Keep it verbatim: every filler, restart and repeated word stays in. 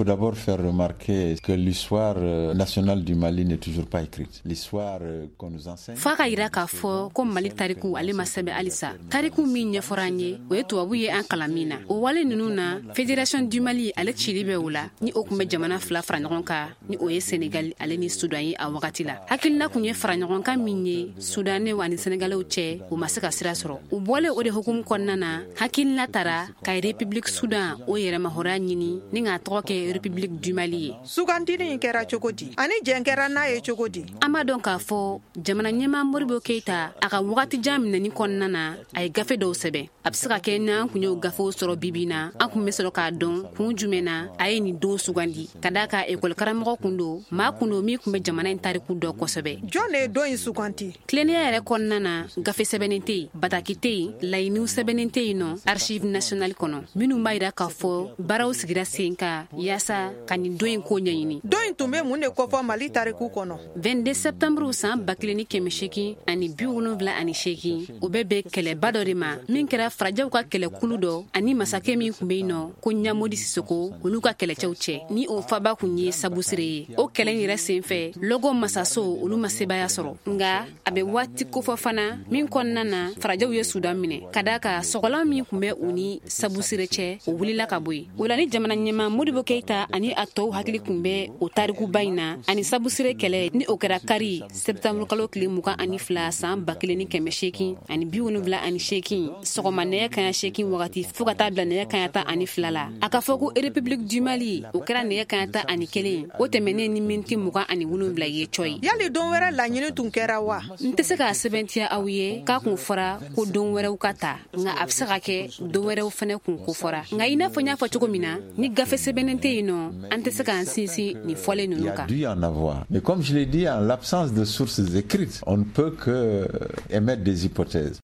faut d'abord faire remarquer que l'histoire euh, nationale du Mali n'est toujours pas écrite. L'histoire euh, qu'on nous enseigne. F'a ka yira k'a fɔ ko Mali tariku, ale ma sɛbɛn halisa. Tariku min ɲɛfɔra an ye, o ye tubabu ye an kalan min na. O wale ninnu na, Fédération du Mali, ale cili bɛ o la, ni o kun bɛ jamana fila fara ɲɔgɔn kan, ni o ye Senegal ale ni Sudan ye. A wagati la, hakilina kun ye fara ɲɔgɔn kan min ye Sudanɛw ani Senegalɛw cɛ, u ma se ka sira sɔrɔ. U bɔlen o de hukumu kɔnɔna na, hakilina tara ka République Sudan o yɛrɛmahɔrɔnya ɲini ni k'a tɔgɔ kɛ République du Mali ye. Sugandili in kɛra cogo di, ani jɛn kɛra n'a ye cogo di? An b'a dɔn k'a fɔ jamana ɲɛma Modibo Keyita, a ka wagati jan minɛni kɔnɔna na, a ye gafe dɔw sɛbɛn. A bɛ se ka kɛ n'an kun y'o gafew sɔrɔ bibi na, an kun bɛ sɔrɔ k'a dɔn kun jumɛn na a ye nin don sugandi, ka d'a ka ekɔli karamɔgɔ kun don, maa kun don min kun bɛ jamana in tariku dɔn kosɛbɛ. Jɔn de ye don in suganti? Tilennenya yɛrɛ kɔnɔna na, gafe sɛbɛnnen tɛ yen, bataki tɛ yen, laɲiniw sɛbɛnnen tɛ yen nɔ Archive nationale kɔnɔ minnu b'a yira k'a fɔ baaraw sigira sen kan yaasa ka nin don in ko ɲɛɲini. Don in tun bɛ mun de kofɔ Mali tariku kɔnɔ? vingt-deux septembre san ba kelen ni kɛmɛ seegin ani bi wolonwula ani seegin, o bɛ bɛn kɛlɛba dɔ de ma min kɛra farajɛw ka kɛlɛkulu dɔ ani masakɛ min kun bɛ yen nɔ ko Ɲamodi Sisoko, olu ka kɛlɛcɛw cɛ, ni o faba kun ye Sabusire ye. O kɛlɛ in yɛrɛ sen fɛ, Lɔgɔ masaso, olu ma sebaya sɔrɔ, nga a bɛ waati kofɔ fana min kɔnɔna na farajɛw ye Sudan minɛ, ka da ka sɔgɔlan min kun bɛ u ni Sabusire cɛ, o wulila ka bɔ yen. O la, ni jamana ɲɛma Modibo Keyita ani a tɔw hakili kun bɛ o tarikuba in na ani Sabusire kɛlɛ, ni o kɛra kari sɛptanburu kalo tile mugan ani fila san ba kelen ni kɛmɛ seegin ani bi wolonwula ani seegin, sɔgɔma nɛgɛ kaɲa seegin wagati fɔɔ ka taa bila nɛgɛ kaɲa tan ani fila la. A ka fɔ ko République du Mali, o kɛra nɛgɛ kaɲa tan ani kelen, o tɛmɛnen ni miniti mugan ani wolonwula ye cɔyi. Yali don wɛrɛ laɲini tun kɛra wa? N tɛ se k'a sɛbɛntiya aw ye k'a kun fɔra ko don wɛrɛw ka ta, nka a bɛ se ka kɛ don wɛrɛw fɛnɛ kun ko fɔra. Nka i n'a fɔ n y'a fɔ cogo min na, ni gafe sɛbɛnnen tɛ yen nɔ, an tɛ se k'an sinsin nin fɔlen ninnu kan. Il y a dû en avoir. Mais comme je l'ai dit, en l'absence de sources écrites, on ne peut que émettre des hypothèses.